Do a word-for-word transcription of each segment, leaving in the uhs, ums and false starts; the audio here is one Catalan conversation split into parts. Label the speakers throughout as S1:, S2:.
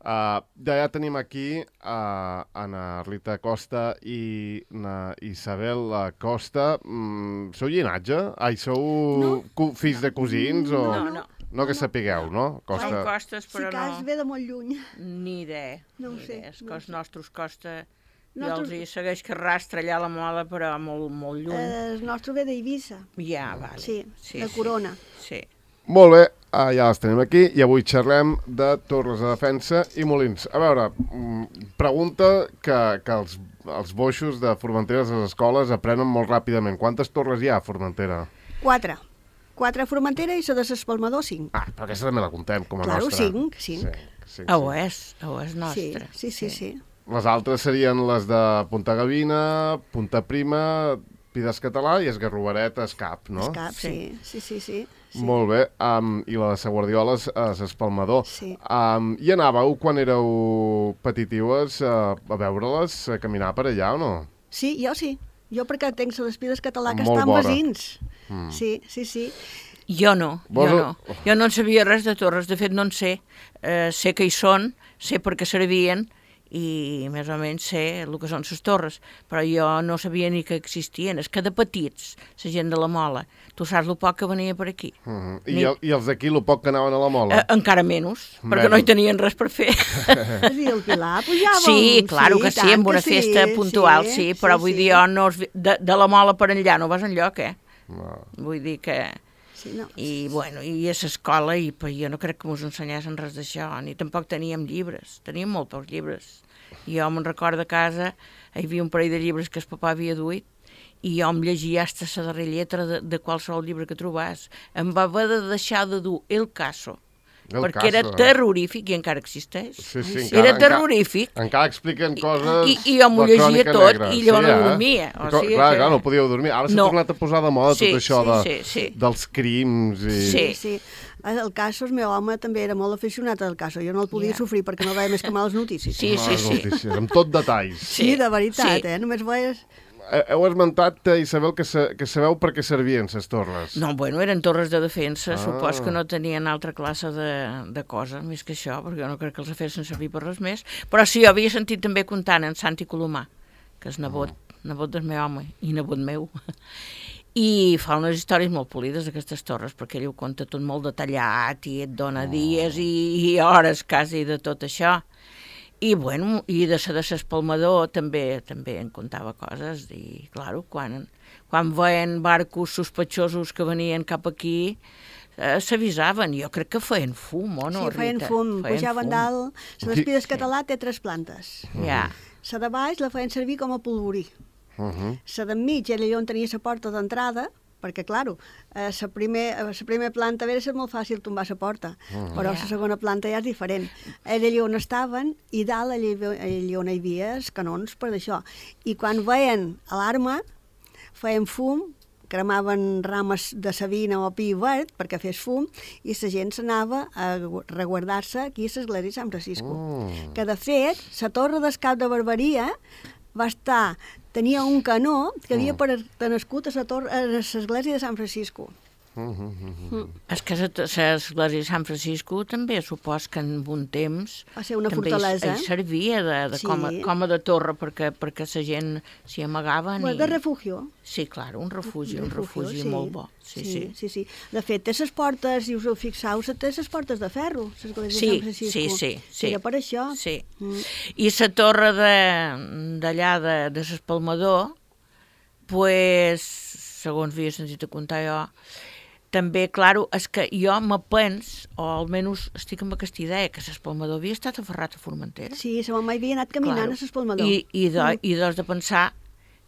S1: Uh, ja tenim aquí uh, Ana Rita Costa i na Isabel Costa. Mm, sou llinatge? Ai, sou
S2: no.
S1: fills de cosins?
S2: No,
S1: o...
S2: no. no.
S1: No que sapigueu, no?
S3: Costa... Som costes, però no.
S2: Si cas ve de molt lluny.
S3: Ni idea.
S2: No ho
S3: ni
S2: sé.
S3: Idea. És
S2: no
S3: que els
S2: sé.
S3: nostres Costa...
S2: Nostres...
S3: Jo els hi segueix que rastra allà la mola, però molt, molt lluny.
S2: Eh, el nostre ve d'Eivissa.
S3: Ja, vale.
S2: Sí,
S3: sí
S2: de Corona.
S3: Sí.
S1: Molt bé, ah, ja les tenim aquí i avui xerrem de torres de defensa i molins. A veure, pregunta que, que els, els boixos de Formentera a les escoles aprenen molt ràpidament. Quantes torres hi ha a Formentera?
S2: Quatre. Quatre a Formentera i la de l'Espalmador, cinc.
S1: Ah, però aquesta també la contem com a
S2: claro,
S1: nostra.
S2: Claro, cinc, cinc.
S1: Sí, sí,
S3: ah, ho és, ho és nostra.
S2: Sí, sí, sí, sí.
S1: Les altres serien les de Punta Gavina, Punta Prima, Pides Català i Esgarrovaret, Escap, no?
S2: Escap, sí, sí, sí, sí. sí.
S1: Molt bé, um, i la de Sa Guardiola és Espalmador.
S2: Sí.
S1: Um, I anàveu, quan éreu petitiues, uh, a veure-les, a caminar per allà o no?
S2: Sí, jo sí. Jo perquè tenc les Pides Català que
S1: Molt
S2: estan
S1: vora.
S2: vesins.
S1: Mm.
S2: Sí, sí, sí.
S3: Jo no,
S1: Vos...
S3: jo no. Jo no en sabia res de torres, de fet no en sé. Eh, sé que hi són, sé per què servien, i més o menys sé el que són les torres, però jo no sabia ni que existien. És que de petits, la gent de la Mola, tu saps el poc que venia per aquí.
S1: Uh -huh. I,
S3: ni...
S1: el, I els d'aquí, el poc que anaven a la Mola?
S3: Eh, encara menys,
S1: menys,
S3: perquè no hi tenien res per fer.
S2: I el Pilar pujàvem.
S3: Sí, claro que sí, amb una
S2: sí,
S3: festa puntual, sí, sí però
S2: sí,
S3: vull
S2: sí.
S3: dir, jo no es... de, de la Mola per enllà no vas enlloc, eh?
S1: No.
S3: Vull dir que...
S2: Sí, no.
S3: I, bueno, i a l'escola, i jo no crec que mos ensenyessin res d'això, ni tampoc teníem llibres, teníem molt pocs llibres. Jo me'n recordo a casa, hi havia un parell de llibres que el papà havia duit, i jo em llegia hasta la darrera lletra de, de qualsevol llibre que trobàs. Em va haver de deixar de dur El Caso,
S1: El
S3: perquè
S1: caso,
S3: era terrorífic, i encara existeix.
S1: Sí, sí,
S3: Ai,
S1: encara,
S3: era terrorífic.
S1: Encara, encara expliquen coses...
S3: I, i jo m'ho llegia tot,
S1: negra.
S3: i jo
S1: sí,
S3: no
S1: eh?
S3: dormia. O
S1: clar,
S3: sigui
S1: clar,
S3: que...
S1: clar, no podíeu dormir. Ara s'ha
S3: no.
S1: tornat a posar de moda
S3: sí,
S1: tot això
S3: sí,
S1: de,
S3: sí, sí.
S1: dels crims. I...
S3: Sí.
S2: Sí, sí. El Caso, el meu home també era molt aficionat al Caso. Jo no el podia
S3: yeah.
S2: sofrir perquè no veia més que males notícies.
S3: Sí, sí, sí.
S1: Notícies, amb tot detalls.
S2: Sí, sí de veritat,
S3: sí.
S2: eh? Només veies...
S1: Heu esmentat, Isabel, que, sa, que sabeu per què servien les torres.
S3: No, bueno, eren torres de defensa,
S1: Ah.
S3: supos que no tenien altra classe de, de cosa, més que això, perquè jo no crec que els fessin servir per res més. Però sí, jo havia sentit també contant en Santi Colomà, que és nebot, ah. nebot del meu home i nebot meu. I fa unes històries molt polides, aquestes torres, perquè ell ho conta tot molt detallat i et dona oh. dies i, i hores quasi de tot això. I, bueno, i de la de l'Espalmador també també en contava coses. I, clar, quan, quan veien barcos sospechosos que venien cap aquí, eh, s'avisaven. Jo crec que feien fum, o no,
S2: Sí, feien
S3: Rita?
S2: fum.
S3: Feien
S2: Pujaven
S3: fum.
S2: dalt. La d'Espides sí. Català té tres plantes.
S3: Ja.
S2: La de baix la feien servir com a polvorí.
S1: Uh -huh.
S2: La d'enmig era allà on tenia la porta d'entrada, perquè, clar, a la primera primer planta era ser molt fàcil tombar la porta, uh -huh. però a la segona planta ja és diferent. Era allà on estaven i dalt allà, allà on hi havia els canons per d'això. I quan veien alarma, feien fum, cremaven rames de savina o pi verd perquè fes fum, i la gent s'anava a reguardar-se aquí a l'església de Sant Francisco.
S1: Uh.
S2: Que, de fet, la torre d'Escap de Barberia va estar... tenia un canó que havia mm. nascut a l'església de Sant Francisco.
S1: Uh -huh, uh -huh.
S3: Mm. És que l'església de Sant Francisco també supos que en un temps
S2: va ser una
S3: també
S2: fortalesa.
S3: Hi, hi servia de, de
S2: sí.
S3: com, a, com a de torre perquè, perquè la gent s'hi amagava.
S2: Bueno,
S3: i...
S2: de refugio.
S3: Sí, clar, un refugi, un
S2: refugio,
S3: refugi
S2: sí.
S3: molt bo. Sí, sí,
S2: sí. sí, sí. De fet, té les portes, si us ho fixeu, té les portes de ferro, l'església
S3: sí,
S2: de Sant Francisco.
S3: Sí, sí, sí.
S2: Era per això.
S3: Sí.
S2: Mm.
S3: I la torre d'allà de, de l'Espalmador, pues, segons havia sentit a contar jo, també, clar, és que jo me pens, o almenys estic amb aquesta idea, que l'Espalmador havia estat aferrat a Formentera.
S2: Sí, la mama havia anat caminant claro. a l'Espalmador.
S3: I, i, de,
S2: mm.
S3: i doncs de pensar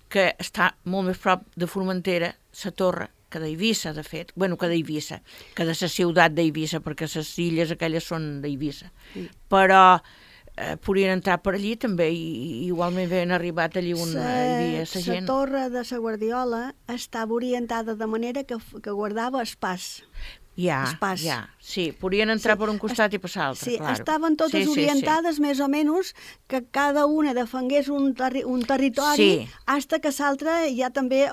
S3: que està molt més prop de Formentera, la torre, que d'Eivissa, de fet. Bueno, que d'Eivissa, que de la ciutat d'Eivissa, perquè les illes aquelles són d'Eivissa. Sí. Però eh, podien entrar per allí també, i, i igualment havien arribat allí on hi havia la gent.
S2: La torre de la Guardiola estava orientada de manera que, que guardava el pas.
S3: Ja,
S2: el pas.
S3: ja, sí, podien entrar
S2: Sí,
S3: per un costat i passar l'altre,
S2: Sí,
S3: claro.
S2: estaven totes
S3: sí, sí,
S2: orientades sí. més o menys que cada una defengués un, terri un territori
S3: Sí.
S2: hasta que l'altra ja també eh,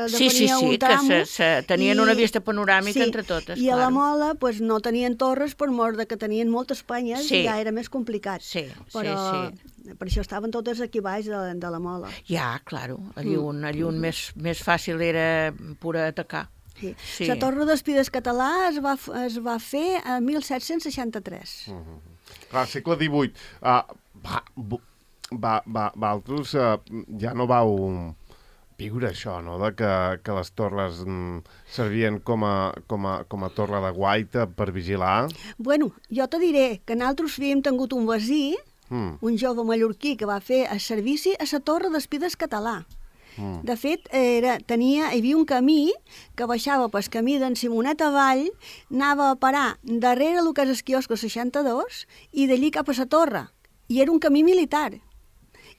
S3: Sí,
S2: defenia
S3: sí, sí,
S2: un tramo.
S3: que se, se tenien
S2: i,
S3: una vista panoràmica
S2: sí,
S3: entre totes,
S2: I a la
S3: claro.
S2: Mola pues, no tenien torres per mort de que tenien moltes penyes
S3: Sí.
S2: i ja era més complicat.
S3: Sí,
S2: però
S3: sí, sí.
S2: per això estaven totes aquí baix de, de la Mola.
S3: Ja, claro, allí on, allí on més, més fàcil era pura atacar.
S2: Sí.
S3: Sí.
S2: La Torre d'Espides català es va, es va fer a mil set-cents seixanta-tres.
S1: Uh -huh. Clar, segle divuit. Uh, va, va, va, vosaltres uh, ja no vau viure això, no?, de que, que les torres mm, servien com a, com, a, com a torre de guaita per vigilar.
S2: Bueno, jo te diré que nosaltres havíem tingut un vecí,
S1: Mm.
S2: un jove mallorquí que va fer el servici a la Torre d'Espides català.
S1: Mm.
S2: De fet, era, tenia, hi havia un camí que baixava pel camí d'en Simonet avall, anava a parar darrere el que és el quiosco seixanta-dos i d'allí cap a la torre. I era un camí militar.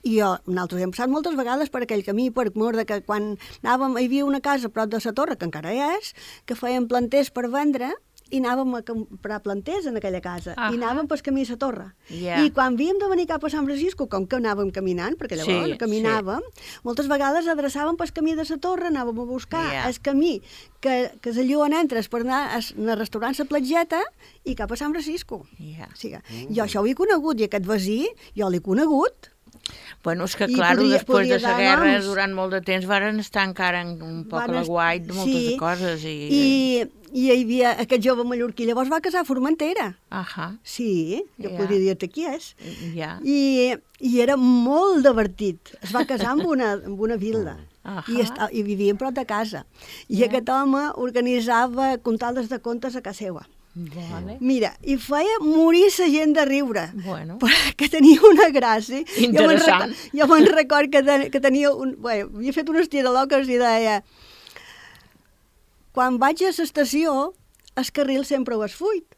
S2: I jo, nosaltres hem passat moltes vegades per aquell camí, per mort de que quan anàvem, hi havia una casa a prop de la torre, que encara hi és, que feien planters per vendre, i anàvem a comprar planters en aquella casa.
S3: Ahà.
S2: I anàvem pel camí a la torre.
S3: Yeah.
S2: I quan havíem de venir cap a Sant Francisco, com que anàvem caminant, perquè llavors
S3: Sí,
S2: caminàvem, moltes vegades adreçàvem pel camí de la torre, anàvem a buscar
S3: Yeah.
S2: el camí que, que és allò on entres per anar al restaurant La Platgeta i cap a Sant Francisco.
S3: Ja.
S2: O sigui, mm. jo això ho he conegut, i aquest vecí, jo l'he conegut.
S3: Bueno, és que,
S2: I
S3: clar,
S2: podria-
S3: després
S2: podria
S3: de la
S2: dar
S3: guerra,
S2: noms.
S3: durant molt de temps, varen estar encara un poc a
S2: Van
S3: la
S2: est-
S3: guait de moltes
S2: sí,
S3: coses. I,
S2: I, i hi havia aquest jove mallorquí, llavors va casar a Formentera.
S3: Ahà,
S2: Sí, jo
S3: Ja.
S2: podria dir-te qui és.
S3: ja.
S2: I, I era molt divertit. Es va casar amb una, amb una vil·la.
S3: Ahà.
S2: I, esta, I vivien prop de casa. I
S3: Ja.
S2: aquest home organitzava contades de contes a casa seva.
S3: Vale.
S2: Mira, i feia morir la gent de riure.
S3: Bueno.
S2: Perquè tenia una gràcia.
S3: Interessant.
S2: Jo me'n record, record que, ten, que tenia un... Bé, havia fet unes tiraloques i deia: quan vaig a l'estació, el carril sempre ho has fuit.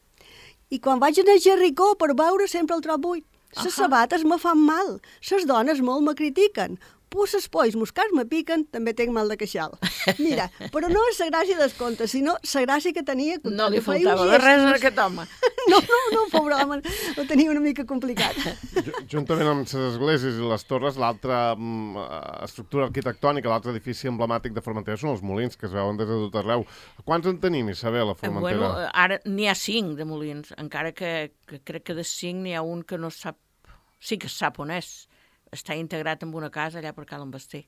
S2: I quan vaig anar a Jericó per veure sempre el trob buit. Les
S3: Ahà.
S2: sabates me fan mal. Les dones molt me critiquen. Pues els polls moscats me piquen, també tinc mal de queixal. Mira, però no és la gràcia dels contes, sinó la gràcia que tenia...
S3: No li
S2: que feia
S3: faltava
S2: un
S3: de
S2: gest.
S3: res a aquest home.
S2: No, no, no, pobre home, ho tenia una mica complicat.
S1: Ju- Juntament amb les esglésies i les torres, l'altra mm, eh, estructura arquitectònica, l'altre edifici emblemàtic de Formentera són els molins, que es veuen des de tot arreu. Quants en tenim, Isabel, a Formentera?
S3: Bueno, ara n'hi ha cinc de molins, encara que, que crec que de cinc n'hi ha un que no sap... Sí que sap on és. Està integrat en una casa allà per Cal Basté.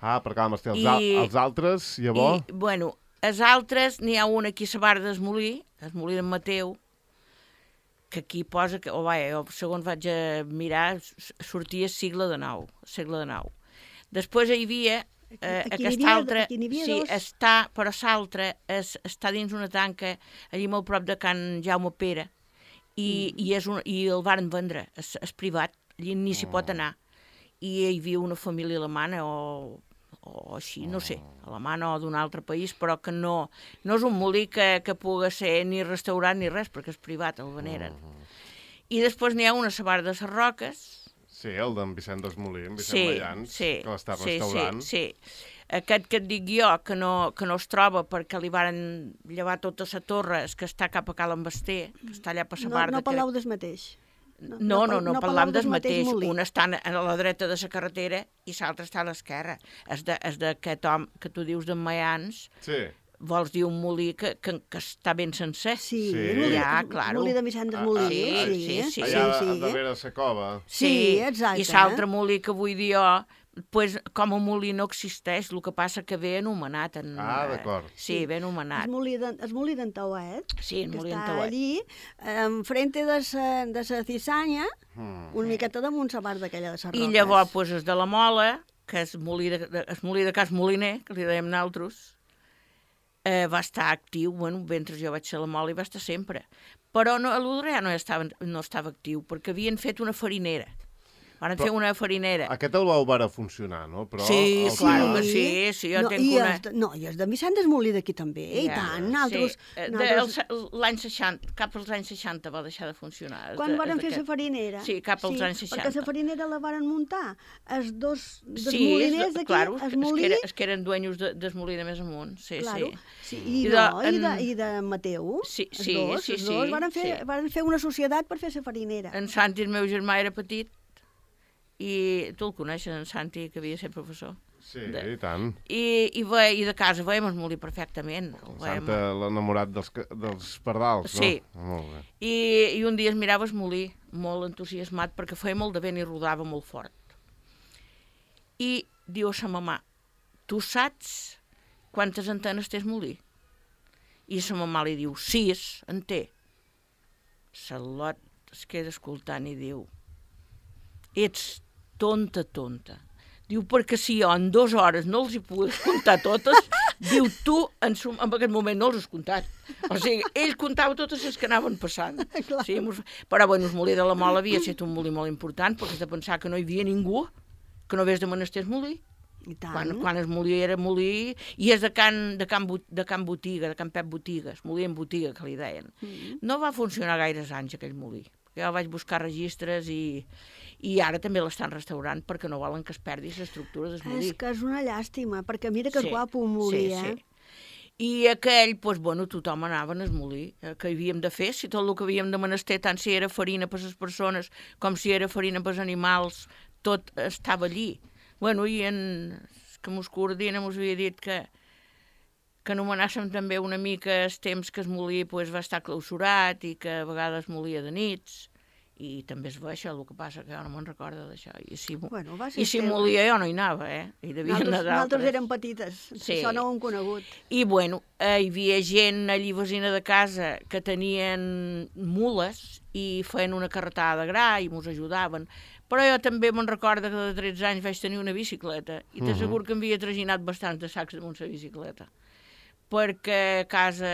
S1: Ah, per Cal Basté. Els,
S3: I-
S1: al, els altres, llavors?
S3: I, bueno, els altres, n'hi ha un aquí a la Barra del Molí, el Molí d'en Mateu, que aquí posa, que, oh, vaja, jo segons vaig a mirar, s- sortia segle de nou, segle de nou. Després hi havia eh,
S2: Aquí n'hi
S3: aquest
S2: havia-
S3: altre,
S2: aquí n'hi havia
S3: sí,
S2: dos.
S3: està, però l'altre és, està dins una tanca, allí molt prop de Can Jaume Pere, i, mm. i, és un, i el varen vendre, és, és privat, allí ni s'hi pot anar. I hi havia una família alemana o, o així, no sé, alemana o d'un altre país, però que no, no és un molí que, que pugui ser ni restaurat ni res, perquè és privat, el veneren. I després n'hi ha una a la Barra de les Roques.
S1: Sí, el d'en Vicent Desmolí, en Vicent
S3: Sí,
S1: Mayans,
S3: sí,
S1: que l'està
S3: sí,
S1: restaurant.
S3: sí, sí. Aquest que et dic jo, que no, que no es troba perquè li varen llevar tota la torre, és que està cap a Cal Basté, que està allà per la
S2: No,
S3: Barra.
S2: no parleu del mateix.
S3: No, no, no, no, no parlam del mateix.
S2: molí.
S3: Un està a la dreta de la carretera i l'altre està a l'esquerra. És de- és d'aquest home que tu dius d'en Mayans,
S1: Sí.
S3: vols dir un molí que, que, que està ben sencer.
S2: Sí,
S1: Sí.
S2: el molí,
S3: Ja,
S2: el
S3: claro.
S2: molí de Vicent
S1: Ah,
S2: Desmolí.
S3: ah,
S2: sí,
S3: sí, sí,
S1: Allà
S2: sí,
S1: a
S2: sí.
S1: darrere de la cova.
S2: Sí, exacte.
S3: I l'altre molí que vull dir jo, pues, com a molí no existeix, el que passa que ve anomenat. En,
S1: Ah, d'acord.
S3: Sí, ve
S2: El
S3: anomenat.
S2: molí de- el molí d'en Tauet,
S3: Sí, el
S2: que
S3: molí
S2: està
S3: d'en Tauet.
S2: allí, enfrente de sa, de sa cisanya,
S1: Mm.
S2: una miqueta damunt la part d'aquella de les
S3: I
S2: roques.
S3: llavors, pues, és de la Mola, que és molí de, de, el molí de Cas Moliner, que li dèiem nosaltres, eh, va estar actiu, bueno, mentre jo vaig ser a la Mola i va estar sempre. Però no, a l'Udre ja no estava, no estava actiu, perquè havien fet una farinera. Van fer una farinera.
S1: Aquest el vau veure funcionar, no? Però
S3: sí,
S1: el...
S3: clar que sí, sí, jo
S2: no,
S3: tenc
S2: i
S3: una...
S2: Els de, no, i els de Vicent Desmolí d'aquí també, eh?
S3: Ja,
S2: I tant, nosaltres...
S3: Sí.
S2: nosaltres...
S3: De, l'any seixanta, cap als anys seixanta va deixar de funcionar.
S2: Quan
S3: de,
S2: varen fer
S3: aquest...
S2: la farinera?
S3: Sí, cap als
S2: sí,
S3: anys seixanta.
S2: Perquè la farinera la varen muntar els dos dels
S3: sí,
S2: moliners d'aquí,
S3: claro,
S2: el molí...
S3: Es que, era, es que eren dueños de, del molí de més amunt, sí,
S2: claro,
S3: sí.
S2: sí. I,
S3: I, de,
S2: no,
S3: en...
S2: i, de, i de Mateu,
S3: sí,
S2: els
S3: sí,
S2: dos,
S3: sí,
S2: els dos
S3: sí,
S2: varen fer,
S3: sí.
S2: varen fer una societat per fer la farinera.
S3: En Santi, el meu germà, era petit, i tu el coneixes, en Santi, que havia de ser professor.
S1: Sí,
S3: de...
S1: i tant.
S3: I, i, ve, I de casa veiem el molí perfectament. El veiem...
S1: Santa, l'enamorat dels, dels pardals,
S3: sí.
S1: no? Sí. Molt bé.
S3: I, I un dia es mirava el molí, molt entusiasmat, perquè feia molt de vent i rodava molt fort. I diu a sa mamà, tu saps quantes antenes té el molí? I sa mamà li diu, sis, en té. Salot es queda escoltant i diu, ets tonta, tonta. Diu, perquè si jo en dues hores no els hi puc comptar totes, diu, tu en, sum, en aquest moment no els has comptat. O sigui, ell comptava totes les que anaven passant. Sí, mos... Però, bueno, el molí de la Mola havia estat un molí molt important, perquè has de pensar que no hi havia ningú que no hagués de menester el molí.
S2: I tant.
S3: Quan, quan el molí era molí, i és de Can, de can, de can Botiga, de Can Pep Botigues, molí en botiga, que li deien. Mm. No va funcionar gaires anys, aquell molí. Jo vaig buscar registres i, i ara també l'estan restaurant perquè no volen que es perdi l'estructura del molí.
S2: És que és una llàstima, perquè mira que
S3: sí,
S2: guapo un molí,
S3: sí,
S2: eh?
S3: Sí. I aquell, doncs, bueno, tothom anava en el molí, eh, que havíem de fer, si tot el que havíem de menester, tant si era farina per les persones com si era farina per als animals, tot estava allí. Bueno, i en, que mos coordina mos havia dit que que anomenàssim també una mica els temps que es molí pues, va estar clausurat i que a vegades molia de nits, i també es va això, el que passa que jo no me'n recordo d'això. I si,
S2: bueno,
S3: i si molia jo no hi anava, eh? Hi devia anar d'altres.
S2: Nosaltres érem petites, sí. Això no ho hem conegut.
S3: I bueno, eh, hi havia gent allí vecina de casa que tenien mules i feien una carretada de gra i mos ajudaven. Però jo també me'n recordo que de tretze anys vaig tenir una bicicleta i t'asseguro que em havia traginat bastants de sacs damunt la bicicleta. Perquè a casa,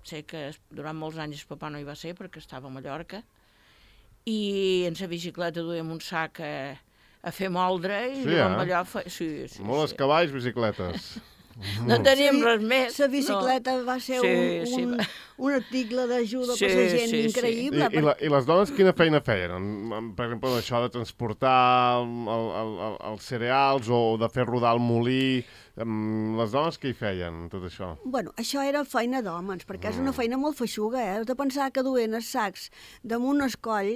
S3: sé que durant molts anys el papà no hi va ser perquè estava a Mallorca, i en la bicicleta duíem un sac a, a fer moldre i
S1: sí, eh?
S3: allò fe... sí, sí,
S1: molts
S3: sí.
S1: cavalls, bicicletes.
S3: No teníem sí, res més.
S2: La bicicleta no. va ser sí, un,
S3: sí.
S2: un, un article d'ajuda sí, per la gent sí, increïble.
S1: Sí. I, per... i, la, I les dones quina feina feien? Per exemple, això de transportar el, el, el, els cereals o de fer rodar el molí... Les dones què hi feien, tot això?
S2: Bueno, això era feina d'homes, perquè mm. és una feina molt feixuga, eh? Has de pensar que duien els sacs damunt el coll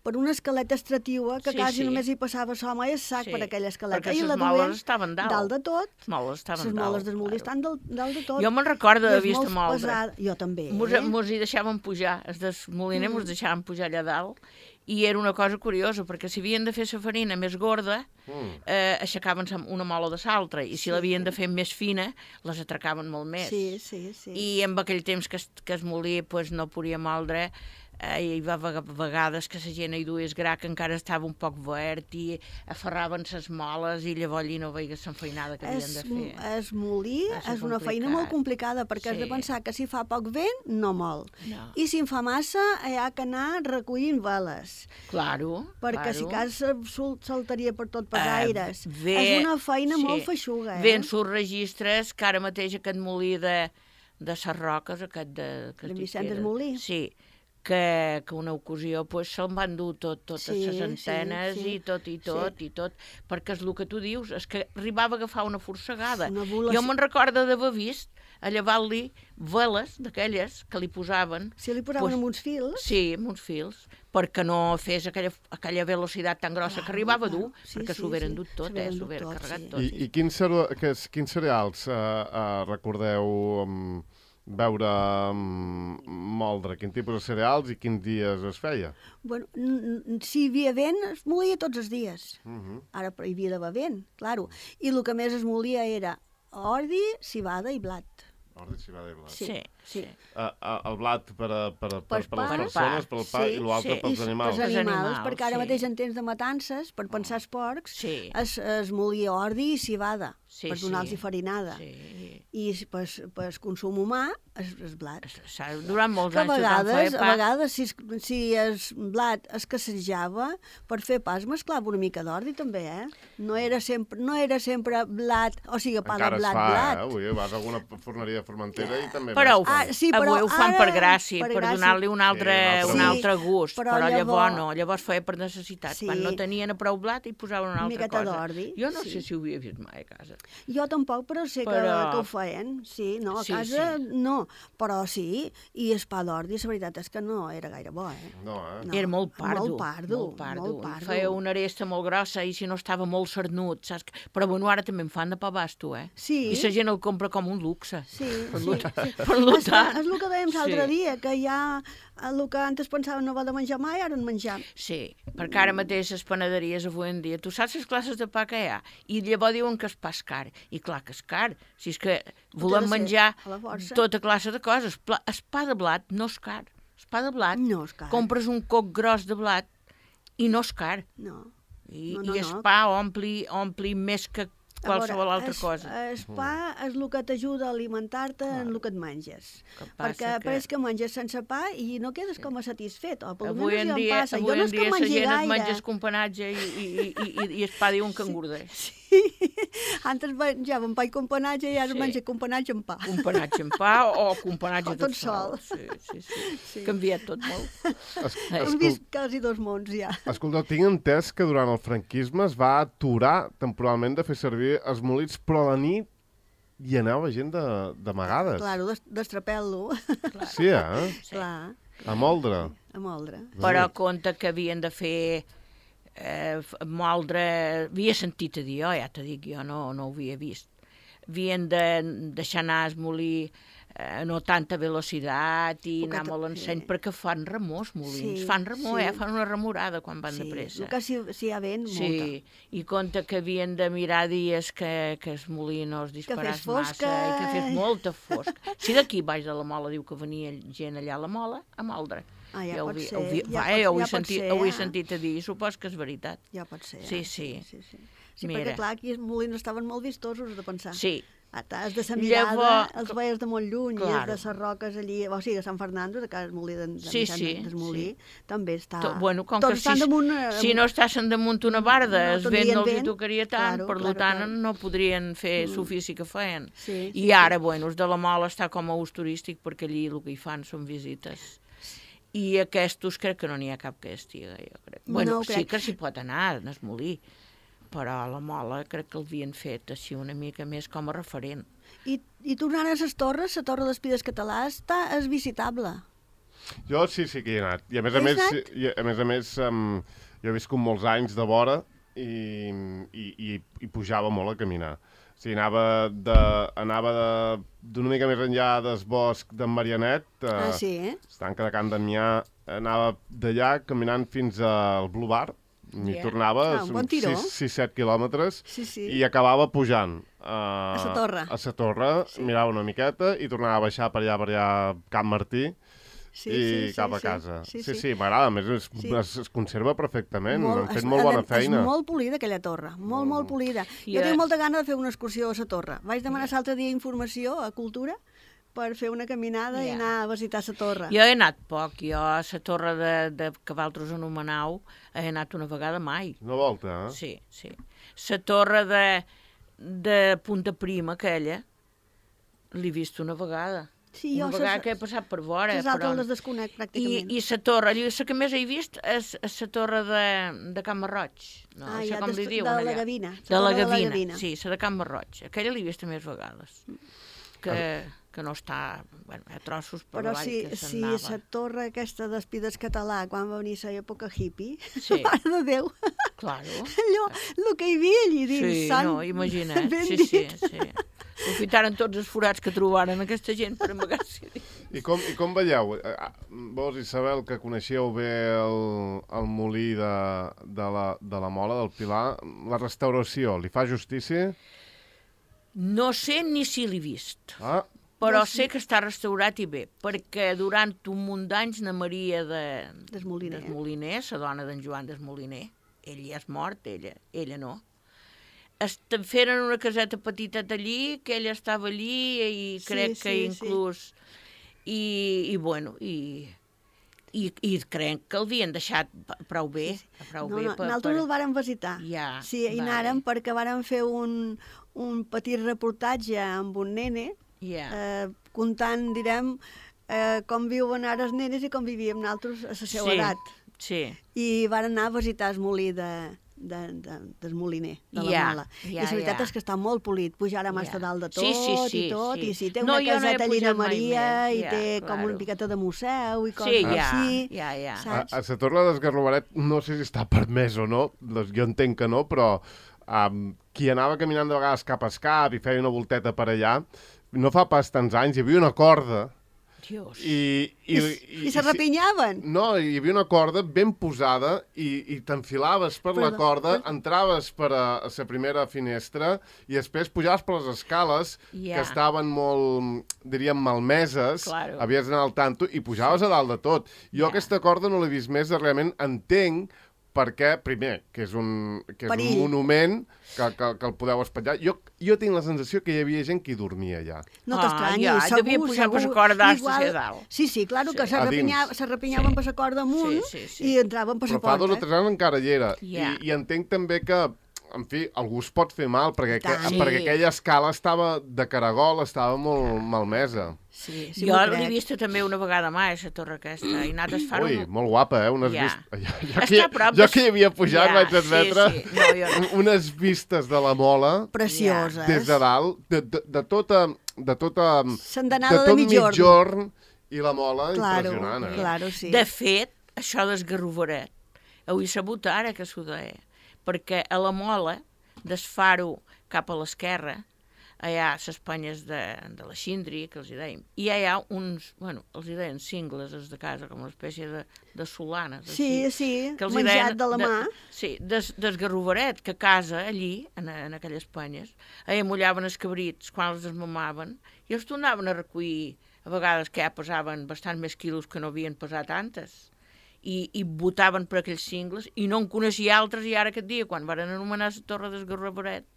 S2: per una escaleta estrativa que sí, quasi sí. només hi passava l'home i el sac sí. per aquella escaleta.
S3: Perquè
S2: i
S3: les moles estaven dalt.
S2: Dalt de tot.
S3: Les moles estaven
S2: dalt. Les moles del molí
S3: claro.
S2: estan dalt, dalt de tot.
S3: Jo me'n recordo d'haver vist moldre.
S2: Pesada. Jo també.
S3: Mos,
S2: eh?
S3: mos hi deixaven pujar, els del moliner mm. mos deixaven pujar allà dalt, i era una cosa curiosa, perquè si havien de fer la farina més gorda, mm. eh, aixecaven una mola de l'altra, i si sí. l'havien de fer més fina, les atracaven molt més.
S2: Sí, sí, sí.
S3: I en aquell temps que es, que es molí pues, no podia moldre, eh, hi va vegades que la gent hi duia gra que encara estava un poc verd i aferraven les moles i llavors allí no veigues l'enfeinada que havien
S2: es,
S3: de fer.
S2: Es molí és, és una feina molt complicada perquè sí. has de pensar que si fa poc vent no mol
S3: no.
S2: i si en fa massa hi ha que anar recollint veles.
S3: Claro,
S2: perquè
S3: claro.
S2: si cas saltaria per tot per
S3: uh,
S2: aires.
S3: Ve,
S2: és una feina
S3: sí.
S2: molt feixuga. Eh?
S3: Ve en sus registres que ara mateix aquest molí de, de ses Roques, aquest de... Que
S2: de Vicent Desmolí.
S3: Sí, que, que una ocasió pues, se'n van dur tot, totes
S2: sí,
S3: les antenes sí, sí. i tot i tot sí. i tot, perquè és el que tu dius, és que arribava a agafar una forcegada. Una bola... Jo me'n recordo d'haver vist a llevar-li veles d'aquelles que li posaven...
S2: Si li posaven pues,
S3: amb
S2: uns fils?
S3: Sí, amb uns fils, perquè no fes aquella, aquella velocitat tan grossa clar, que arribava a dur, sí, perquè s'ho huberen sí, dut tot, eh, s'ho huberen carregat sí. tot.
S1: I, i quins, quins cereals uh, uh, recordeu... Um... veure um, moldre, quin tipus de cereals i quins dies es feia?
S2: Bueno, si hi havia vent, es molia tots els dies.
S1: Uh -huh.
S2: Ara hi havia d'haver vent, claro. I el que més es molia era ordi, cibada i blat.
S1: Ordi, cibada i blat.
S2: Sí, sí. sí.
S1: Uh, uh, el blat per, a, per, a, per, per, per les persones, per al pa,
S2: sí,
S1: i l'altre
S2: sí.
S1: pels animals.
S2: Pels animals,
S3: animals
S2: perquè ara
S3: sí.
S2: mateix en temps de matances, per pensar els porcs,
S3: sí.
S2: es, es molia ordi i cibada.
S3: sí,
S2: per donar-los
S3: sí.
S2: farinada.
S3: Sí.
S2: I per, per consum humà, el, el blat.
S3: S'ha durant molts
S2: Que a
S3: anys tothom
S2: vegades,
S3: feia
S2: a
S3: pa.
S2: vegades si, es- si el blat escassejava, per fer pa es mesclava una mica d'ordi també, eh? No era sempre, no era sempre blat, o sigui, pa
S1: Encara
S2: de
S1: es
S2: blat,
S1: fa,
S2: blat.
S1: eh? Avui vas a alguna forneria de Formentera i també
S3: Però ho,
S1: veus
S2: Ah,
S1: que-
S2: sí, però
S3: avui ho fan
S2: ara-
S3: per gràcia,
S2: per
S3: per,
S2: gràcia.
S3: donar-li un altre,
S1: Sí,
S3: un
S1: un
S2: altre
S3: altre
S2: gust.
S3: gust,
S2: Sí,
S3: però,
S2: però
S3: llavors
S2: llavors-
S3: no, llavors feia per necessitat.
S2: Sí.
S3: Quan no tenien a prou blat hi posaven una
S2: Una
S3: altra
S2: miqueta
S3: cosa.
S2: d'ordi,
S3: Jo no
S2: sí.
S3: sé si ho havia vist mai a casa.
S2: Jo tampoc, però sé
S3: Però-
S2: que, que ho feien, sí, no, a
S3: Sí,
S2: casa
S3: sí.
S2: no, però sí, i el pa d'ordi, la veritat és que no era gaire bo, eh?
S1: No, eh?
S2: No,
S3: Era molt pardo.
S2: molt pardo,
S3: Molt pardo.
S2: molt pardo.
S3: Feia una aresta molt grossa i si no estava molt cernut, saps? Però bueno, ara també en fan de pa basto, eh?
S2: Sí.
S3: I la gent el compra com un luxe.
S2: Sí,
S3: Per
S2: sí,
S3: lo
S2: sí.
S3: tant- per lo
S2: és,
S3: tant,
S2: que, és el que dèiem l'altre
S3: sí.
S2: dia, que ja el que antes pensaven no haver de menjar mai, ara en menjar.
S3: Sí, perquè ara mateix les panaderies avui en dia, tu saps les classes de pa que hi ha? I llavors diuen que el pa és car. I clar que és car. Si és que volem
S2: de ser
S3: menjar
S2: a la força.
S3: tota classe de coses. Pla- El pa de blat no és car. El pa de blat,
S2: No és car.
S3: compres un coc gros de blat i no és car.
S2: No.
S3: I,
S2: No, no,
S3: i el
S2: no.
S3: pa ompli, ompli més que
S2: A
S3: qualsevol
S2: veure,
S3: altra
S2: es-
S3: cosa.
S2: El pa és el que t'ajuda a alimentar-te en el que et menges.
S3: Que passa
S2: Perquè
S3: que-
S2: pareix que menges sense pa i no quedes com a satisfet. O per
S3: Avui
S2: almenys
S3: en
S2: jo em
S3: dia,
S2: passa.
S3: avui
S2: Jo no
S3: en
S2: és que
S3: dia la
S2: mengi
S3: gent et
S2: gaire.
S3: menja companatge i, i, i, i, i el pa diuen que engordeix.
S2: Antes menjàvem pa i companatge i ara
S3: Sí.
S2: sí. menja companatge amb pa.
S3: Companatge en pa o companatge
S2: O
S3: tot,
S2: tot sol.
S3: Sí, sí, sí.
S2: Sí.
S3: sí. Canviat tot molt.
S1: Es,
S2: Hem
S1: escol...
S2: vist quasi dos mons ja.
S1: Escolta, tinc entès que durant el franquisme es va aturar temporalment de fer servir els molins, però a la nit hi anava gent de- d'amagades.
S2: Claro, des- destrapel-lo.
S1: Sí, eh?
S3: Sí.
S2: Clar,
S1: A moldre.
S2: a moldre.
S3: Però compte que havien de fer eh, f- moldre... Havia sentit a dir, jo ja t'ho dic, jo no, no ho havia vist. Havien de deixar anar el molí eh, no tanta velocitat i
S2: Poqueta-
S3: anar molt enseny,
S2: sí.
S3: perquè fan remor, els molins.
S2: Sí,
S3: fan remor,
S2: sí.
S3: eh? Fan una remorada quan van
S2: Sí,
S3: de pressa.
S2: el que si, si hi ha vent, molta.
S3: Sí, i compte que havien de mirar dies que, que el molí no es disparàs
S2: fes fosca.
S3: massa i que fes molta fosca. Si d'aquí baix de la Mola diu que venia gent allà a la Mola, a moldre.
S2: Ah, ja
S3: Jo ho
S2: pot
S3: vi-
S2: ser,
S3: ho vi-
S2: ja
S3: va,
S2: pot-
S3: eh, ho he
S2: ja pot
S3: sentit,
S2: ser,
S3: ho he
S2: eh?
S3: sentit a dir, supos que és veritat.
S2: Ja pot ser.
S3: Sí,
S2: eh?
S3: sí.
S2: Sí, sí. Sí,
S3: Mira.
S2: perquè clar, aquí els molins estaven molt vistosos, has de pensar.
S3: Sí,
S2: Ah, has de sa mirada,
S3: Llavors-
S2: els veies de molt lluny,
S3: Claro.
S2: i els de ses roques allí, o sigui, a Sant Fernando, de cada molí de, de
S3: Sí, sí,
S2: del molí, també està...
S3: to, bueno, com
S2: Tots
S3: que si,
S2: estan damunt... eh,
S3: si no estaven damunt una barda,
S2: no
S3: el vent
S2: tindrien
S3: no els hi
S2: vent.
S3: tocaria tant,
S2: Claro,
S3: per
S2: claro,
S3: tant
S2: claro.
S3: no podrien fer mm. l'ofici que feien.
S2: Sí,
S3: I
S2: sí,
S3: ara, bueno, els de la Mola està com a ús turístic, perquè allí el que hi fan són visites. I aquests crec que no n'hi ha cap que estiga, jo crec.
S2: No,
S3: Bueno,
S2: ho
S3: sí
S2: crec.
S3: que s'hi pot anar, en el molí, però a la Mola crec que l'havien fet així una mica més com a referent.
S2: I, I tornant a les torres, la Torre d'Espides Català està, és visitable.
S1: Jo sí, sí que hi he anat. I a més a
S2: Has
S1: més,
S2: anat?
S1: i a més, a més um, jo he viscut molts anys de vora i, i, i, i pujava molt a caminar. O sigui, anava de, anava de, d'una mica més enllà del bosc d'en Marianet, eh,
S2: Ah, sí, eh?
S1: estanca de Can Damià, anava d'allà caminant fins al Blue Bar, m'hi
S3: Yeah.
S1: tornava
S2: Ah, un bon tiró.
S1: sis set quilòmetres
S2: Sí, sí.
S1: i acabava pujant uh,
S2: A sa torre.
S1: a sa torre,
S2: Sí.
S1: mirava una miqueta i tornava a baixar per allà, per allà, Camp Martí,
S2: Sí,
S1: i
S2: sí, sí,
S1: cap a
S2: sí.
S1: casa.
S2: Sí,
S1: Sí,
S2: sí.
S1: sí, m'agrada. A més, es,
S2: Sí.
S1: es, es conserva perfectament. Han fet
S2: és-
S1: molt bona
S2: és-
S1: feina.
S2: És molt polida, aquella torre. Molt, molt polida.
S3: I,
S2: Jo
S3: eh,
S2: tinc molta gana de fer una excursió a la torre. Vaig demanar l'altre dia informació a Cultura per fer una caminada i
S3: Ja.
S2: anar a visitar la torre.
S3: Jo he anat poc, jo a la torre de, de que vosaltres anomenau he anat una vegada mai.
S1: Una volta, eh?
S3: Sí, sí. La torre de, de Punta Prima, aquella, l'he vist una vegada.
S2: Sí,
S3: una
S2: jo
S3: vegada
S2: ses-
S3: que he passat per vora.
S2: Les altres
S3: però...
S2: les desconec
S3: I,
S2: pràcticament.
S3: I la torre, la que més he vist és la torre de, de Can Marroig. No,
S2: Ah,
S3: això
S2: ja,
S3: com
S2: des-
S3: li diuen
S2: de la
S3: allà.
S2: Gavina, la
S3: De la
S2: torre de la
S3: Gavina,
S2: Gavina.
S3: sí, la de Can Marroig. Aquella l'he vista més vegades. Que, que no està... Bueno, hi ha trossos per
S2: Però
S3: avall
S2: si,
S3: que
S2: si
S3: s'anava.
S2: la torre aquesta d'Espides Català, quan va venir l'època hippie,
S3: Sí.
S2: mare de Déu,
S3: Claro.
S2: allò, el que hi havia allí dins,
S3: Sí,
S2: sant,
S3: no, imagina't.
S2: ben
S3: Sí, sí,
S2: dit.
S3: sí. Aprofitaren tots els forats que trobaren aquesta gent per amagar-s'hi.
S1: I com, I com veieu? Eh, ah, Vos, Isabel, que coneixeu bé el, el molí de, de, la, de la Mola, del Pilar, la restauració, li fa justícia?
S3: No sé ni si l'he vist,
S1: Ah,
S3: però sé que està restaurat i bé, perquè durant un munt d'anys na Maria de,
S2: Desmoliner.
S3: Desmoliner, la dona d'en Joan Desmoliner, ell ja és mort, ella, ella no, est- feren una caseta petiteta allí, que ella estava allí i crec
S2: Sí,
S3: que
S2: sí,
S3: inclús... I, i bueno, i, i, i crec que l'havien deixat prou bé. Prou
S2: No,
S3: bé
S2: no,
S3: per,
S2: nosaltres
S3: per...
S2: el vàrem visitar.
S3: Ja,
S2: Sí, i
S3: vale.
S2: anàrem perquè vàrem fer un, un petit reportatge amb un nene,
S3: Ja.
S2: eh, contant, direm, eh, com viuen ara els nenes i com vivíem nosaltres a la seva
S3: Sí,
S2: edat.
S3: sí.
S2: I van anar a visitar el molí de, de, de, del moliner, de la
S3: Ja,
S2: Mola.
S3: ja,
S2: I la veritat
S3: ja.
S2: és que està molt polit, pujarem
S3: Ja.
S2: hasta dalt de tot
S3: Sí, sí, sí,
S2: i tot,
S3: sí.
S2: i sí, té
S3: No,
S2: una
S3: jo no he
S2: caseta allí de
S3: pujat mai
S2: Maria
S3: més,
S2: i
S3: ja,
S2: té com
S3: claro.
S2: una miqueta de museu i coses
S3: Sí, ja,
S2: així.
S3: ja, ja.
S1: A,
S2: Saps?
S1: a la Torre d'Esgarrobaret no sé si està permès o no, doncs jo entenc que no, però um, qui anava caminant de vegades cap a escap i feia una volteta per allà, no fa pas tants anys, hi havia una corda
S3: Dios.
S1: i...
S2: I, i, i se rapinyaven.
S1: No, hi havia una corda ben posada i, i t'enfilaves per la
S2: Perdó,
S1: corda,
S2: per-
S1: entraves per a, a la primera finestra i després pujaves per les escales
S3: Ja.
S1: que estaven molt, diríem, malmeses,
S3: Claro.
S1: havies d'anar al tanto i pujaves a dalt de tot. Jo
S3: Ja.
S1: aquesta corda no l'he vist més, realment entenc perquè, primer, que és un, que és un
S2: Perill.
S1: monument que, que, que el podeu espatllar. Jo, jo tinc la sensació que hi havia gent que hi dormia allà.
S2: No
S3: Ah,
S2: t'estranyis,
S3: ja,
S2: segur,
S3: devia pujar per
S2: segur.
S3: la corda hasta
S2: Igual-
S3: hacia dalt.
S2: Sí, sí, claro,
S3: Sí.
S2: que se,
S1: A
S2: rapinya,
S1: dins.
S2: se rapinyaven
S3: Sí.
S2: per la corda amunt
S3: Sí, sí, sí.
S2: i entraven per
S1: Però
S2: la
S1: fa dos o
S2: porta.
S1: tres anys encara hi era.
S3: Ja.
S1: I, I entenc també que, en fi, algú es pot fer mal, perquè, que,
S2: tant.
S1: perquè
S3: Sí.
S1: aquella escala estava de caragol, estava molt malmesa.
S2: Sí, sí,
S3: Jo
S2: m'ho
S3: l'he
S2: crec.
S3: vista també una vegada més, a la torre aquesta, i he anat a far
S1: Ui,
S3: un...
S1: molt guapa, eh? Unes
S3: Ja.
S1: vistes... Jo, jo,
S3: Està
S1: que,
S3: a prop
S1: jo
S3: de-
S1: que hi havia pujat
S3: Ja,
S1: vaig
S3: sí,
S1: admetre
S3: sí. No, jo no.
S1: unes vistes de la Mola
S2: Precioses.
S1: des de dalt, de, de, de tota... De tota
S2: S'andanada de
S1: tot
S2: mitjorn.
S1: mitjorn i la Mola,
S2: Claro,
S1: impressionant, eh?
S2: claro, sí.
S3: De fet, això d'esgarrovaret, ho he sabut ara que s'ho deia, perquè a la Mola, desfar-ho cap a l'esquerra, allà a les penyes de, de la Xindri, que els hi dèiem, i hi ha uns, bueno, els hi deien cingles, els de casa, com una espècie de, de solanes.
S2: Sí,
S3: així,
S2: sí,
S3: que els hi
S2: menjat
S3: deien
S2: de la mà.
S3: sí, des, d'esgarrovaret, que a casa, allí, en, en aquelles penyes, allà mullaven els cabrits quan els desmamaven, i els tornaven a recollir, a vegades que ja pesaven bastant més quilos que no havien pesat antes, i, i votaven per aquells cingles, i no en coneixia altres, i ara aquest dia, quan van anomenar la torre d'esgarrovaret,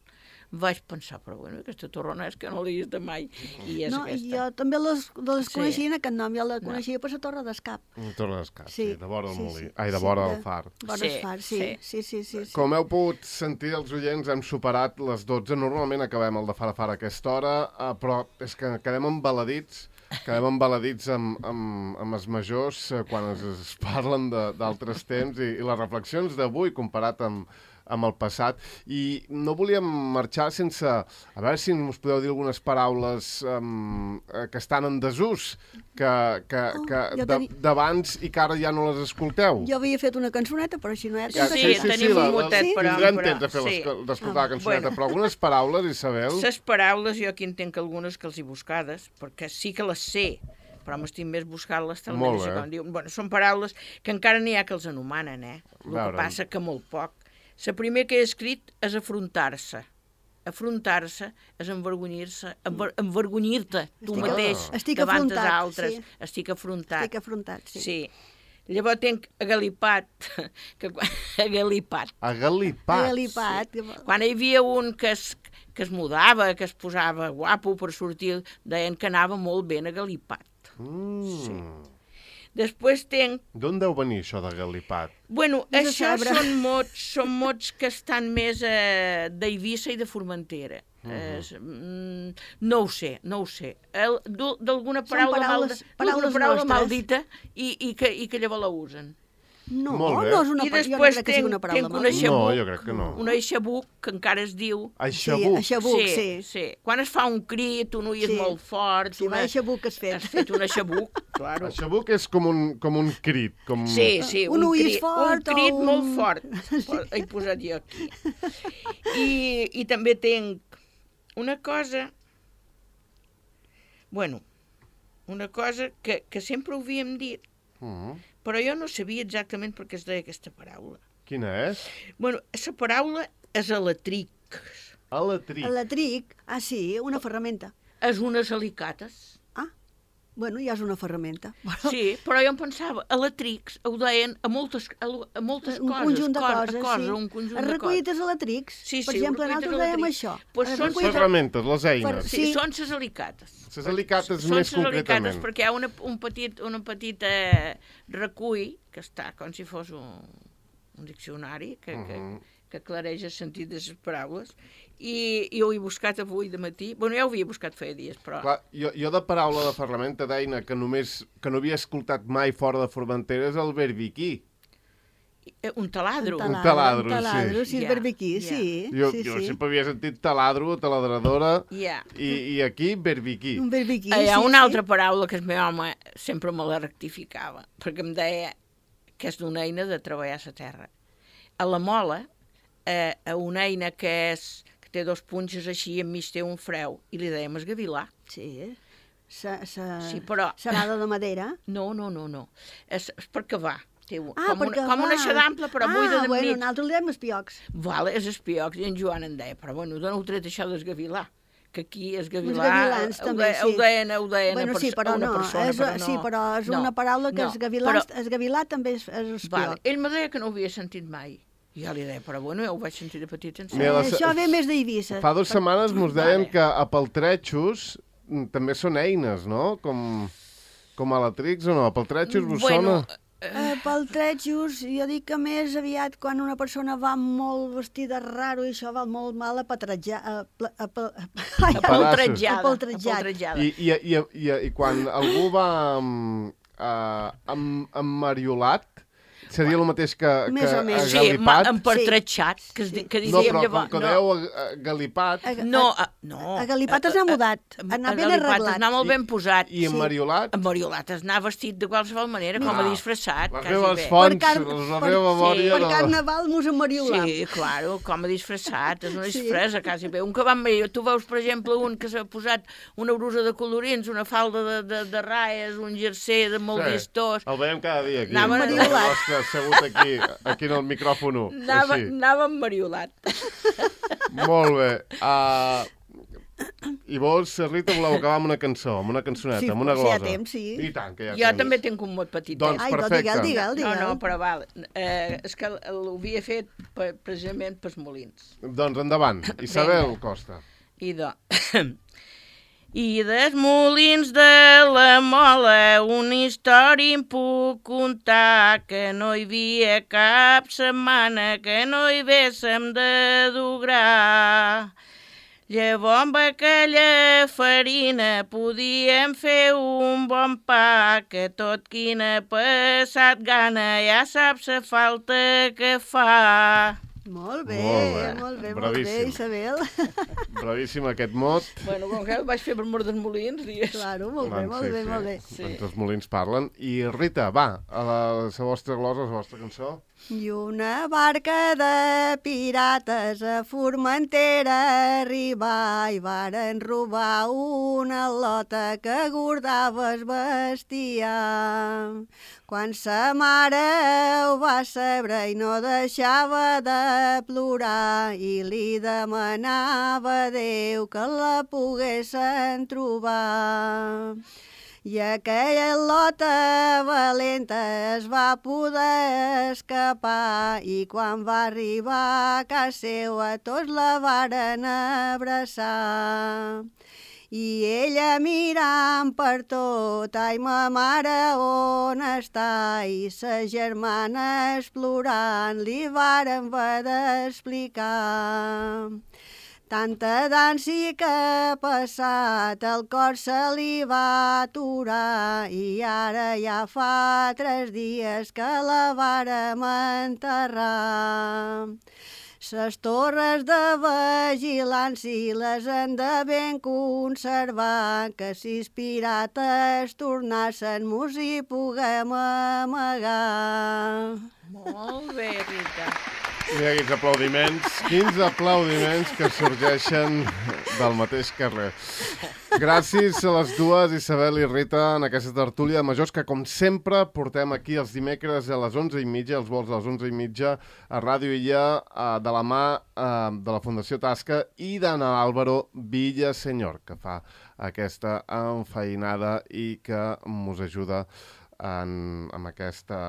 S3: vaig pensar, però bueno, aquesta torrona és que no l'he vist de mai, i és
S2: No,
S3: aquesta.
S2: jo també les, les
S3: Sí.
S2: coneixia en aquest nom, jo la coneixia per la Torre d'Escap.
S1: La Torre d'Escat, sí,
S2: Sí,
S1: de vora el
S2: sí,
S1: molí.
S2: sí.
S1: Ai, de
S2: Sí,
S1: vora
S2: de-
S1: el far.
S2: Vora
S3: Sí,
S2: el far, sí,
S3: sí.
S2: sí, sí, sí, sí.
S1: Com heu pogut sentir els oients, hem superat les dotze. Normalment acabem el de far a far a aquesta hora, eh, però és que quedem embaladits, quedem embaladits amb, amb, amb els majors eh, quan es, es parlen de- d'altres temps i, i les reflexions d'avui comparat amb, amb el passat. I no volíem marxar sense... A veure si us podeu dir algunes paraules um, que estan en desús, que, que,
S2: Oh,
S1: que
S2: jo
S1: de-
S2: teni-
S1: d'abans i que ara ja no les escolteu.
S2: Jo havia fet una cançoneta, però així no hi ha
S1: Ja,
S2: temps.
S3: Sí, tenim un gotet,
S2: sí?
S3: però-
S1: Tindrem
S3: però-
S1: temps de fer
S3: sí.
S1: les- d'escoltar
S2: Ah,
S1: la cançoneta,
S3: bueno.
S1: però algunes paraules, Isabel...
S3: Les paraules, jo aquí entenc algunes que els he buscades, perquè sí que les sé, però m'estic més buscant-les tal
S1: Molt
S3: manera,
S1: bé.
S3: com diuen. Bueno, són paraules que encara n'hi ha que els anomanen, eh? El
S1: Veurem.
S3: que passa que molt poc. La primera que he escrit és afrontar-se. Afrontar-se és envergonyir-se, enver envergonyir-te tu
S2: Estic-
S3: mateix
S2: estic
S3: davant dels
S2: afrontat,
S3: altres.
S2: sí.
S3: Estic afrontat.
S2: Estic afrontat, sí.
S3: Sí. Llavors tenc agalipat, que quan... agalipat.
S1: Agalipat.
S2: Agalipat.
S3: Quan hi havia un que es, que es mudava, que es posava guapo per sortir, deien que anava molt ben agalipat.
S1: Mm.
S3: Sí. Després tenc...
S1: D'on deu venir això de galipat?
S3: Bueno,
S2: Has de
S3: això
S2: saber.
S3: són mots, són mots que estan més eh, d'Eivissa i de Formentera. Uh -huh. es, mm, no ho sé, no ho sé. El- du- D'alguna
S2: Són
S3: paraula,
S2: paraules-
S3: mal,
S2: paraules
S3: paraula
S2: nostres.
S3: maldita i, i, que, i que llavors la usen.
S2: No,
S1: Molt bé.
S2: no és una
S3: I
S2: paraula, jo no
S3: després
S2: crec que sigui
S3: tenc-
S2: una paraula
S3: tenc una
S2: mala.
S3: Aixabuc.
S1: No, jo crec que no.
S3: Un aixabuc, que encara es diu...
S1: Aixabuc.
S2: Sí, aixabuc, sí.
S3: sí. Quan es fa un crit, un ull és
S2: Sí.
S3: molt fort...
S2: Sí, va, aixabuc has fet.
S3: Has fet un aixabuc, claro.
S1: Aixabuc és com un, com un crit. Com...
S3: Sí, sí,
S2: Un
S3: un,
S2: ull
S3: crit,
S2: fort
S3: un crit
S2: o un-
S3: molt fort. He posat jo aquí. I, I també tenc una cosa... Bueno, una cosa que, que sempre ho havíem dit,
S1: Mm.
S3: però jo no sabia exactament per què es deia aquesta paraula.
S1: Quina és?
S3: Bueno, la paraula és alatric.
S1: Alatric.
S2: Electric, ah sí, una ferramenta.
S3: És unes alicates.
S2: Ah, Bueno, ja és una ferramenta.
S3: Però... Sí, però jo em pensava, a la Trix ho deien a moltes, a, a moltes
S2: un
S3: coses.
S2: Un conjunt de
S3: cosa,
S2: coses,
S3: cosa,
S2: sí.
S3: Un conjunt
S2: Els recollites a la Trix,
S3: sí, sí,
S2: per exemple, nosaltres dèiem això.
S3: Pues són
S1: les ferramentes, les eines.
S3: Per, sí, sí, són les alicates.
S1: Les alicates
S3: són
S1: més concretament.
S3: Alicates perquè hi ha una, un petit, una petita eh, recull, que està com si fos un, un diccionari, que, uh -huh. que, que aclareix el sentit de les paraules, i, i ho he buscat avui de matí. Bueno, ja ho havia buscat feia dies, però...
S1: Clar, jo, jo de paraula de ferramenta d'eina que només que no havia escoltat mai fora de Formentera és el berbiquí.
S3: Un taladro.
S2: Un
S1: taladro, un taladro,
S2: un taladro
S1: sí.
S2: sí, és berbiquí, yeah. sí.
S1: Jo,
S2: sí,
S1: jo
S2: sí.
S1: sempre havia sentit taladro, taladradora,
S3: yeah.
S1: i, i aquí berbiquí.
S2: Un berbiquí,
S3: Hi ha
S2: sí,
S3: una
S2: sí.
S3: altra paraula que el meu home sempre me la rectificava, perquè em deia que és d'una eina de treballar a la terra. A la mola, eh, a una eina que és que té dos punxes així i enmig té un freu, i li dèiem esgavilar.
S2: Sí, sa, sa,
S3: sí però...
S2: serada de madera?
S3: No, no, no, no. És, és per cavar. Té un,
S2: ah,
S3: com, una, com una xadample, però
S2: ah,
S3: buida de
S2: bueno,
S3: nit.
S2: nosaltres li dèiem espiocs.
S3: Vale, és espiocs, i en Joan em deia, però bueno, d'on heu tret això d'esgavilar? Que aquí esgavilar...
S2: Els gavilans, també,
S3: de,
S2: sí.
S3: Ho deien, ho deien
S2: bueno,
S3: a,
S2: sí, però
S3: a una
S2: no,
S3: persona,
S2: és,
S3: però no.
S2: Sí, però és
S3: no,
S2: una paraula que
S3: no,
S2: esgavilans,
S3: però...
S2: esgavilar també és, és espioc.
S3: Vale. Ell me deia que no ho havia sentit mai. I jo li deia, però bueno, ja ho vaig sentir de petit en
S2: eh, Això ve més d'Eivissa.
S1: Fa dues setmanes mos deien vale. que a Peltretxos també són eines, no? Com, com a la Trix o no? A Peltretxos vos
S3: bueno,
S1: sona?
S2: Uh, pel Trètxos, jo dic que més aviat quan una persona va molt vestida raro i això va molt mal apatratjar,
S3: apaltratjada.
S1: I, i, i, i, I quan algú va um, uh, emmariolat, seria el mateix que,
S2: més
S1: que
S2: o menys.
S1: agalipat?
S3: Sí, empertratxat, que, sí. que
S1: no,
S3: diguem
S1: però
S3: llavors.
S1: com que dèieu agalipat...
S3: No, a, no.
S2: Agalipat es anar mudat, anar ben arreglat.
S3: Anar molt ben posat.
S1: I, i emmariolat?
S3: Sí. Emmariolat és anar vestit de qualsevol manera, no. com a disfressat.
S1: Les meves fonts,
S2: car...
S1: la meva memòria...
S2: Per carnaval mos emmariolat.
S3: Sí, claro, com a disfressat, és una disfressa, sí. quasi bé. Un que va emmariolat, tu veus, per exemple, un que s'ha posat una brusa de colorins, una falda de, de, de raies, un jersei de molt sí. vistós.
S1: El veiem cada dia aquí.
S3: Anava
S1: emmariolat. Assegut aquí. Aquí en el micròfon.
S3: Anava, anava emmariolat.
S1: Molt bé. Uh, I vos, Rita, voleu acabar amb una cançó, amb una cançoneta,
S2: sí,
S1: amb una glosa?
S2: Sí, hi ha temps, sí.
S1: I tant, que hi ha
S3: jo
S1: temps.
S3: també tinc un mot petit.
S1: Doncs
S2: Ai,
S1: perfecte.
S2: Digue'l, digue'l, digue'l.
S3: No, no, però val. Eh, és que l'havia fet precisament pels molins.
S1: Doncs endavant. Isabel Costa.
S3: I do... I dels molins de la Mola una història em puc contar, que no hi havia cap setmana que no hi véssim de dur gra. Llavors amb aquella farina podíem fer un bon pa, que tot quina passat gana ja saps la falta que fa.
S2: Molt bé,
S1: molt bé,
S2: molt bé,
S1: bravíssim.
S2: molt bé, Isabel.
S1: Bravíssim aquest mot.
S3: Bueno, com que el vaig fer per mort dels molins, digues.
S2: Claro, molt bé, molt
S1: sí,
S2: bé,
S1: sí.
S2: molt bé.
S3: Sí.
S1: Doncs els molins parlen. I Rita, va, a la, a la vostra glosa, a la vostra cançó.
S2: I una barca de pirates a Formentera arribar i varen robar una lota que guardava el bestiar. Quan sa mare ho va saber i no deixava de plorar i li demanava a Déu que la poguessin trobar. I aquella lota valenta es va poder escapar i quan va arribar a casa seva tots la varen abraçar. I ella mirant per tot, ai, ma mare on està? I sa germana explorant li varen haver d'explicar. Tanta dansi que ha passat, el cor se li va aturar i ara ja fa tres dies que la vàrem enterrar. Ses torres de vigilància les han de ben conservar, que si els pirates tornassen mos hi puguem amagar.
S3: Molt bé, Rita.
S1: Mira quins aplaudiments, quins aplaudiments que sorgeixen del mateix carrer. Gràcies a les dues, Isabel i Rita, en aquesta tertúlia de majors que, com sempre, portem aquí els dimecres a les onze i mitja, els vols a les onze i mitja, a Ràdio Illa, de la mà de la Fundació Tasca i d'Anna Álvaro Villasenyor, que fa aquesta enfeinada i que mos ajuda en, amb aquesta...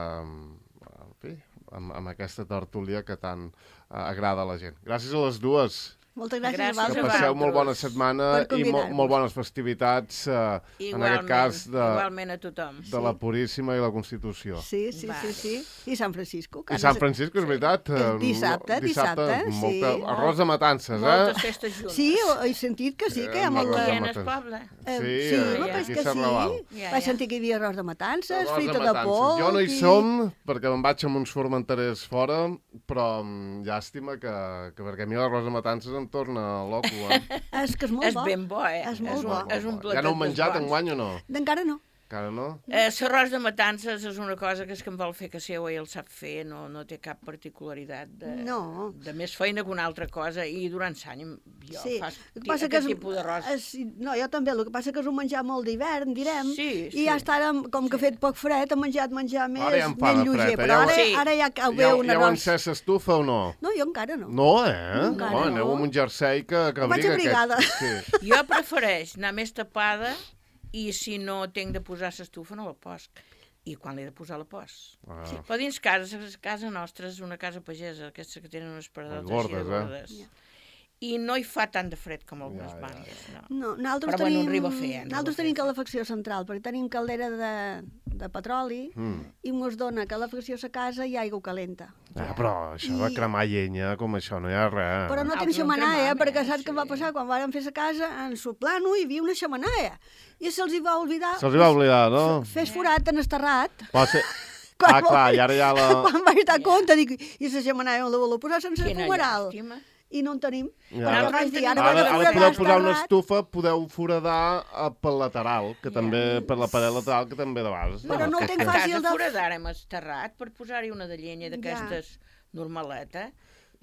S1: En fi, amb, amb aquesta tertúlia que tant uh, agrada a la gent. Gràcies a les dues.
S2: Moltes gràcies,
S3: gràcies
S2: a vosaltres.
S1: Que passeu molt bona setmana i molt, molt bones festivitats, uh, en aquest cas, de,
S3: igualment a tothom.
S1: de la Puríssima i la Constitució.
S2: Sí, sí, sí, sí. I Sant Francisco.
S1: I Sant Francisco, és veritat.
S2: És dissabte, dissabte,
S1: molta,
S2: sí.
S1: Arròs de matances, eh?
S3: Moltes festes juntes.
S2: Sí, he sentit que sí, que hi ha molta...
S3: Aquí en el poble.
S2: Eh,
S1: Sí,
S2: sí,
S1: eh,
S2: però
S1: aquí
S2: és que
S1: a Sant
S2: sí.
S1: Raval.
S3: Ja,
S2: Vaig
S3: ja.
S2: sentir que hi havia arròs de matances,
S1: Arròs
S2: frita de
S1: matances.
S2: polp...
S1: Jo no hi
S2: i-
S1: som, perquè me'n vaig amb uns formenterers fora, però mm, llàstima que, que perquè a mi l'arròs de matances em torna loco, eh?
S2: És que és molt
S3: És
S2: bo.
S3: ben bo, eh?
S2: És molt
S3: un,
S2: bo.
S3: és un platet
S1: Ja no heu menjat
S3: dels bons.
S1: enguany o no?
S2: Encara no.
S1: Encara no?
S3: Eh, L'arròs de matances és una cosa que és que em vol fer que seu i el sap fer, no, no té cap particularitat de,
S2: No.
S3: de més feina que una altra cosa, i durant l'any jo
S2: Sí.
S3: fas
S2: El que passa que
S3: aquest
S2: és,
S3: tipus d'arròs.
S2: és, no, jo també, el que passa que és un menjar molt d'hivern, direm,
S3: Sí,
S2: i ja està, ara, com que ha fet poc fred, ha menjat menjar més,
S1: Ara ja em fa
S2: més
S1: de
S2: lleuger,
S1: fred, eh?
S2: però
S1: Ja ho-
S2: ara,
S3: Sí.
S2: ara ja cau bé
S1: Ja,
S2: un
S1: ja heu
S2: arròs.
S1: encès estufa o no?
S2: No, jo encara no.
S1: No, eh?
S2: Encara
S1: oh,
S2: no.
S1: aneu amb un jersei que, que
S2: Vaig
S1: abriga
S2: abrigada.
S1: aquest. Sí.
S3: Jo prefereix anar més tapada i si no tinc de posar l'estufa no la posc. I quan l'he de posar la pos.
S1: Ah.
S3: Sí. Però dins casa, casa nostra és una casa pagesa, aquestes que tenen unes paredotes
S1: Gordes,
S3: així de
S1: eh?
S3: gordes. I no hi fa tant de fred com algunes
S1: Ja, ja,
S3: banyes. No.
S2: No, nosaltres
S3: Però, bueno,
S2: tenim,
S3: arriba a fer, eh? Arriba
S2: nosaltres
S3: a fer.
S2: tenim calefacció central, perquè tenim caldera de, de petroli
S1: Mm.
S2: i ens dona calefacció a casa i aigua calenta.
S1: Ah, però això de
S2: I-
S1: cremar llenya, com això, no hi ha res.
S2: Però no
S3: Ah,
S2: tenim
S3: però en
S2: xemenaia,
S3: cremam,
S2: perquè
S3: eh?
S2: saps què
S3: Sí.
S2: va passar? Quan vàrem fer la casa, en su plano hi havia una xemenaia. I se'ls hi va oblidar...
S1: Se'ls hi va oblidar, no?
S2: Fes forat en esterrat.
S1: Pot ser...
S2: Quan
S1: Ah, clar, i ara ja la...
S2: Quan vaig dar compte, dic, i la xemenaia on la voleu posar sense
S3: Quina
S2: fumeral?
S3: llàstima.
S2: I no en tenim.
S1: Ja.
S2: Perquè
S1: Ara-
S2: vaig dir, ara,
S1: Ara,
S2: vaig
S1: ara
S2: foradar
S1: podeu posar una
S2: esterrat.
S1: estufa, podeu foradar eh, pel lateral, que també, per la paret lateral, que també de vegades.
S2: Però no ho tinc
S3: A
S2: fàcil
S3: casa
S2: de...
S3: foradàrem esterrat per posar-hi una de llenya d'aquestes normaleta,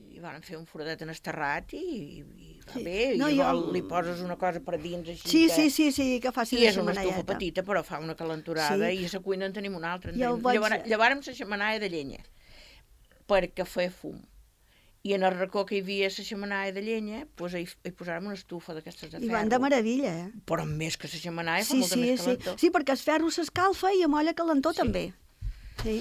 S3: i van fer un foradet en esterrat i, i va
S2: Sí.
S3: bé,
S2: No,
S3: i
S2: jo-
S3: vol, li poses una cosa per dins així
S2: Sí,
S3: que...
S2: sí, sí, sí, que faci
S3: I
S2: de
S3: és una estufa
S2: xemeneieta.
S3: petita, però fa una calenturada,
S2: Sí.
S3: i a la cuina en tenim una altra. En
S2: Jo
S3: tenim...
S2: vaig-
S3: Llevar... Llevàrem la xemenaia de llenya, perquè feia fum. I en el racó que hi havia la xemenaia de llenya, doncs hi, hi posàrem una estufa d'aquestes de
S2: I
S3: ferro.
S2: van de meravella, eh?
S3: Però més que la xemenaia, fa
S2: Sí,
S3: molta
S2: sí,
S3: més
S2: sí.
S3: calentor.
S2: Sí, perquè el ferro s'escalfa i amolla calentó
S3: Sí.
S2: també. Sí.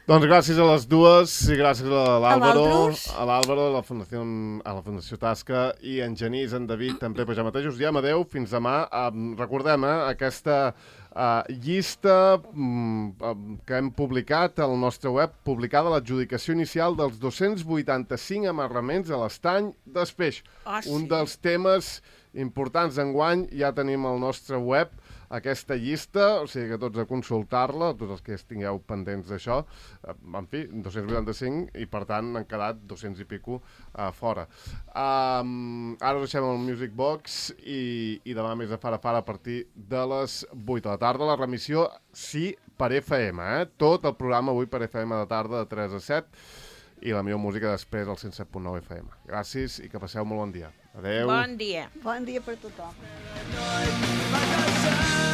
S1: Doncs gràcies a les dues i gràcies a l'Àlvaro,
S2: vosaltres.
S1: a l'Àlvaro, a la Fundació, a la Fundació Tasca i en Genís, en David, també per ja mateix. Us diem adeu, fins demà. Um, recordem, eh, aquesta uh, llista um, um, que hem publicat al nostre web, publicada l'adjudicació inicial dels dos-cents vuitanta-cinc amarraments a l'estany d'Espeix.
S3: Ah, sí.
S1: Un dels temes importants d'enguany, ja tenim al nostre web aquesta llista, o sigui que tots a consultar-la, tots els que estigueu pendents d'això, eh, en fi, dos-cents vuitanta-cinc i per tant han quedat dos-cents i pico uh, fora. Um, ara us deixem el Music Box i, i demà més de fara a fara a partir de les vuit de la tarda. La remissió, sí, per F M, eh? Tot el programa avui per F M de tarda de tres a set i la millor música després al cent set punt nou F M. Gràcies i que passeu molt bon dia. Adeu.
S3: Bon dia.
S2: Bon dia per tothom.
S4: Like I said